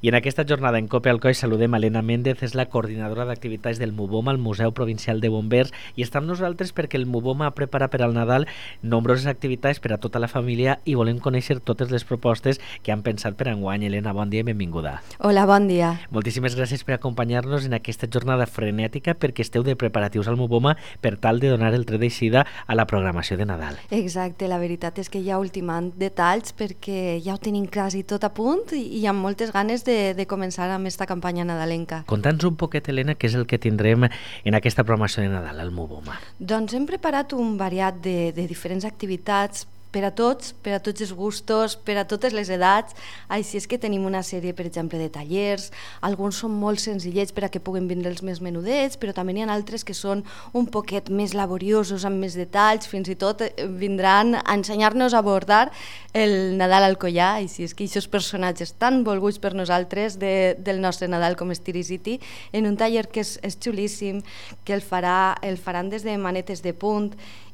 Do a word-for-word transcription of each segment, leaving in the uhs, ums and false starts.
I en aquesta jornada en Cope al Coll saludem a Elena Méndez, és la coordinadora d'activitats del MUBOMA, el Museu Provincial de Bombers, i està amb nosaltres perquè el MUBOMA ha preparat per al Nadal nombroses activitats per a tota la família i volem conèixer totes les propostes que han pensat per enguany. Elena, bon dia i benvinguda. Hola, bon dia. Moltíssimes gràcies per acompanyar-nos en aquesta jornada frenètica perquè esteu de preparatius al MUBOMA per tal de donar el tret d'eixida a la programació de Nadal. Exacte, la veritat és que ja ultimant detalls perquè ja ho tenim quasi tot a punt i hi ha moltes ganes de, de començar amb aquesta campanya nadalenca. Conta'ns un poquet, Elena, què és el que tindrem en aquesta programació de Nadal al MUBOMA. Doncs hem preparat un variat de, de diferents activitats per a tots, per a tots els gustos, per a totes les edats. Així és que tenim una sèrie, per exemple, de tallers. Alguns són molt senzillets per a que puguen vindre els més menudets, però també n'hi ha altres que són un poquet més laboriosos, amb més detalls, fins i tot vindran a ensenyar-nos a abordar el Nadal al collar. Així és que aquests personatges tan volguts per nosaltres de, del nostre Nadal com Styrie City, en un taller que és, és xulíssim, que el, farà, el faran des de manetes de punt,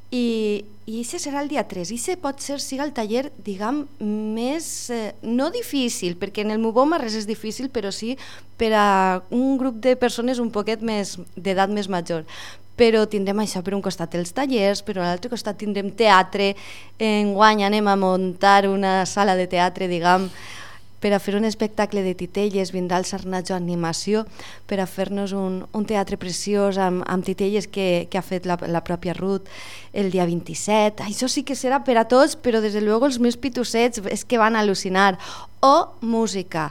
i i això serà el dia tres, i això pot ser siga el taller, diguem, més, eh, no difícil, perquè en el MUBOMA res és difícil, però sí per a un grup de persones un poquet més d'edat més major. Però tindrem això per un costat els tallers, però a l'altre costat tindrem teatre. Enguany anem a muntar una sala de teatre, diguem, per a fer un espectacle de titelles. Vindrà el Sarnacho Animació per a fer-nos un, un teatre preciós amb, amb titelles que, que ha fet la, la pròpia Ruth el dia vint-i-set. Això sí que serà per a tots, però des de luego els més pitussets és que van al·lucinar. O música.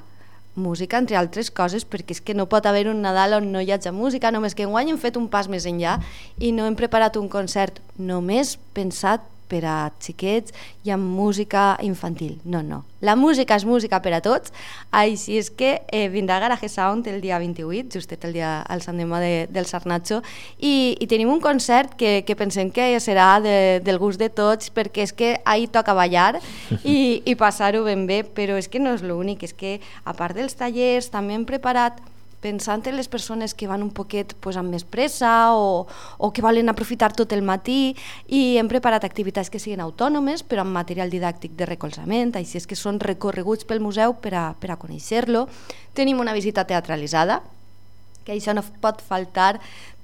Música, entre altres coses, perquè és que no pot haver un Nadal on no hi hagi música, només que enguany hem fet un pas més enllà i no hem preparat un concert només pensat per a xiquets i amb música infantil. No, no. La música és música per a tots, així és que eh, vindrà Garage Sound el dia vint-i-vuit, justet el dia al Sant Demà de, del Sarnacho, i, i tenim un concert que, que pensem que serà de, del gust de tots, perquè és que ahir toca ballar i, i passar-ho ben bé, però és que no és l'únic, és que a part dels tallers també hem preparat, pensant en les persones que van un poquet pues, amb més pressa o, o que volen aprofitar tot el matí, i hem preparat activitats que siguin autònomes però amb material didàctic de recolzament, així és que són recorreguts pel museu per a, per a conèixer-lo. Tenim una visita teatralitzada, que això no pot faltar.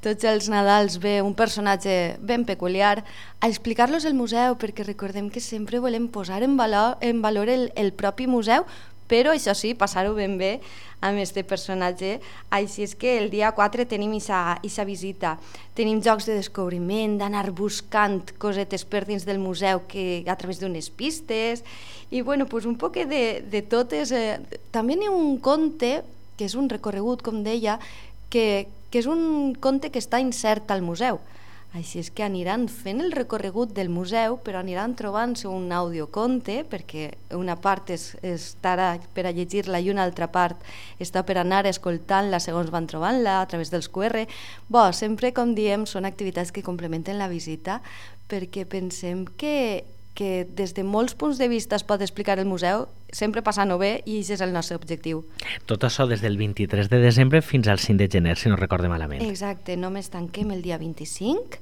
Tots els Nadals ve un personatge ben peculiar a explicar-los el museu, perquè recordem que sempre volem posar en valor, en valor el, el propi museu, però això sí, passar-ho ben bé amb aquest personatge. Així és que el dia quatre tenim aquesta visita. Tenim jocs de descobriment, d'anar buscant cosetes per dins del museu que, a través d'unes pistes, i bueno, pues un poc de, de totes. Eh, també hi ha un conte, que és un recorregut, com deia, que, que és un conte que està insert al museu. Així és que aniran fent el recorregut del museu, però aniran trobant-se un audioconte, perquè una part és, estarà per a llegir-la i una altra part està per anar escoltant-la segons van trobant-la a través dels cu erre. Bo, sempre, com diem, són activitats que complementen la visita, perquè pensem que, que des de molts punts de vista es pot explicar el museu, sempre passant-ho bé, i aquest és el nostre objectiu. Tot això des del vint-i-tres de desembre fins al cinc de gener, si no recorde malament. Exacte, només tanquem el dia vint-i-cinc,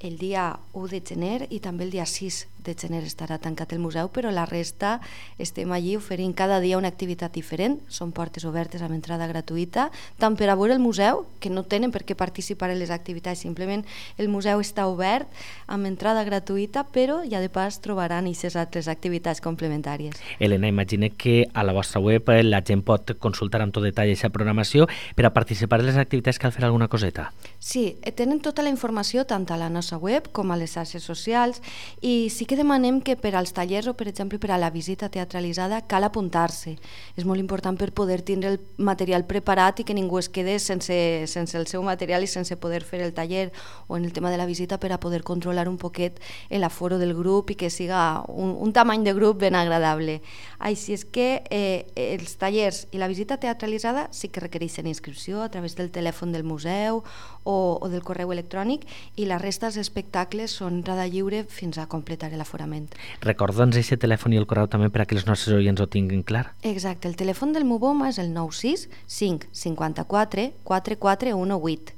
el dia u de gener i també el dia sis de gener estarà tancat el museu, però la resta estem allí oferint cada dia una activitat diferent. Són portes obertes amb entrada gratuïta, tant per a veure el museu, que no tenen per què participar en les activitats, simplement el museu està obert amb entrada gratuïta, però ja de pas trobaran aquestes altres activitats complementàries. Elena, imagine que a la vostra web la gent pot consultar amb tot detall aquesta programació. Per a participar en les activitats cal fer alguna coseta? Sí, tenen tota la informació tant a la nostra web com a les xarxes socials, i sí que demanem que per als tallers o, per exemple, per a la visita teatralitzada cal apuntar-se. És molt important per poder tindre el material preparat i que ningú es quede sense, sense el seu material i sense poder fer el taller, o en el tema de la visita per a poder controlar un poquet l'aforo del grup i que siga un, un tamany de grup ben agradable. Així és que eh, els tallers i la visita teatralitzada sí que requereixen inscripció a través del telèfon del museu o, o del correu electrònic, i la resta dels espectacles són entrada lliure fins a completar l'aforament. Recorda'ns aquest telèfon i el correu també per a que els nostres oients ho tinguin clar. Exacte, el telèfon del MUBOMA és el nou sis cinc cinquanta-quatre quaranta-quatre divuit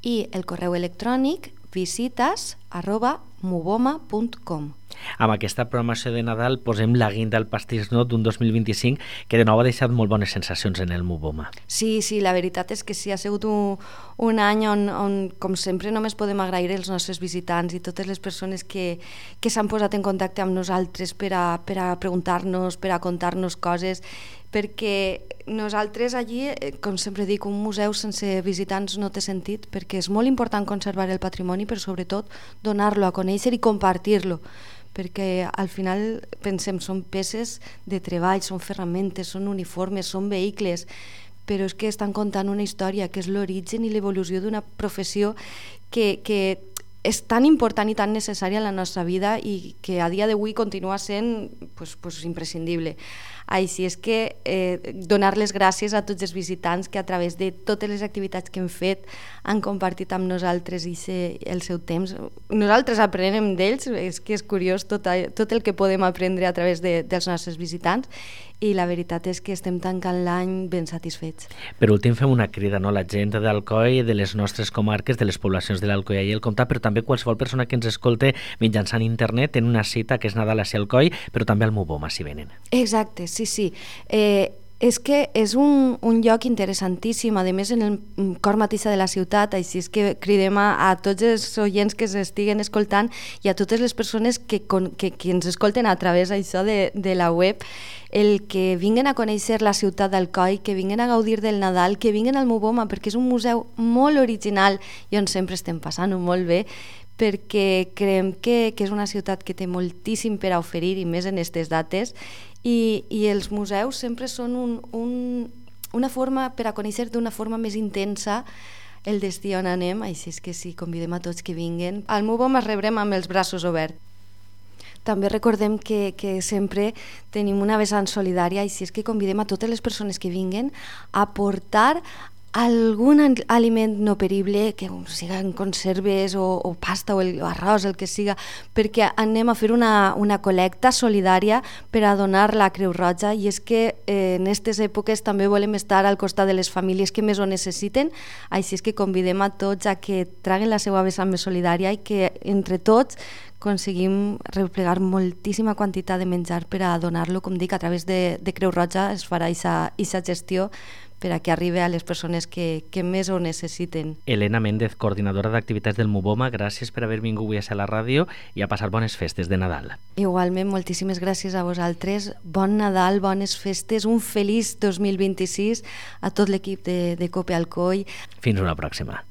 i el correu electrònic visites arroba muboma punt com. Amb aquesta programació de Nadal posem la guinda al pastís no d'un dos mil vint-i-cinc que de nou ha deixat molt bones sensacions en el Muboma. Sí, sí, la veritat és que sí, ha sigut un, un any on, on, com sempre, només podem agrair els nostres visitants i totes les persones que, que s'han posat en contacte amb nosaltres per a, per a preguntar-nos, per a contar-nos coses, perquè nosaltres allí, com sempre dic, un museu sense visitants no té sentit, perquè és molt important conservar el patrimoni, però sobretot donar-lo a conèixer i compartir-lo, perquè al final pensem, són peces de treball, són ferramentes, són uniformes, són vehicles, però és que estan contant una història que és l'origen i l'evolució d'una professió que, que és tan important i tan necessària en la nostra vida i que a dia d'avui continua sent pues, pues, imprescindible. Així és que eh, donar les gràcies a tots els visitants que a través de totes les activitats que hem fet han compartit amb nosaltres i se, el seu temps. Nosaltres aprenem d'ells, és que és curiós tot, tot el que podem aprendre a través de, dels nostres visitants i la veritat és que estem tancant l'any ben satisfets. Per últim fem una crida, no? La gent d'Alcoi, de les nostres comarques, de les poblacions de l'Alcoià i el Comtat, però també qualsevol persona que ens escolte mitjançant internet en una cita que és Nadal a Alcoi, però també al Muboma si venen. Exacte, sí, sí. Eh, és que és un, un lloc interessantíssim, a més en el cor mateix de la ciutat, així és que cridem a, a tots els oients que s'estiguen escoltant i a totes les persones que, que, que ens escolten a través això de, de la web, el que vinguen a conèixer la ciutat d'Alcoi, que vinguen a gaudir del Nadal, que vinguen al Muboma, perquè és un museu molt original i on sempre estem passant-ho molt bé, perquè creiem que, que és una ciutat que té moltíssim per a oferir i més en aquestes dates i, i els museus sempre són un, un, una forma per a conèixer d'una forma més intensa el destí on anem, així és que sí, convidem a tots que vinguen. Al Muboma els rebrem amb els braços oberts. També recordem que, que sempre tenim una vessant solidària, així és que convidem a totes les persones que vinguen a portar algun aliment no perible, que siguin conserves o, o pasta o, el, o arròs, el que siga, perquè anem a fer una, una col·lecta solidària per a donar la Creu Roja i és que eh, en aquestes èpoques també volem estar al costat de les famílies que més ho necessiten, així és que convidem a tots a que traguen la seva vessant més solidària i que entre tots aconseguim replegar moltíssima quantitat de menjar per a donar-lo, com dic, a través de, de Creu Roja es farà aquesta gestió per a que arribi a les persones que, que més ho necessiten. Elena Méndez, coordinadora d'activitats del Muboma, gràcies per haver vingut avui a la ràdio i a passar bones festes de Nadal. Igualment, moltíssimes gràcies a vosaltres. Bon Nadal, bones festes, un feliç dos mil vint-i-sis a tot l'equip de, de Cope Alcoi. Fins una pròxima.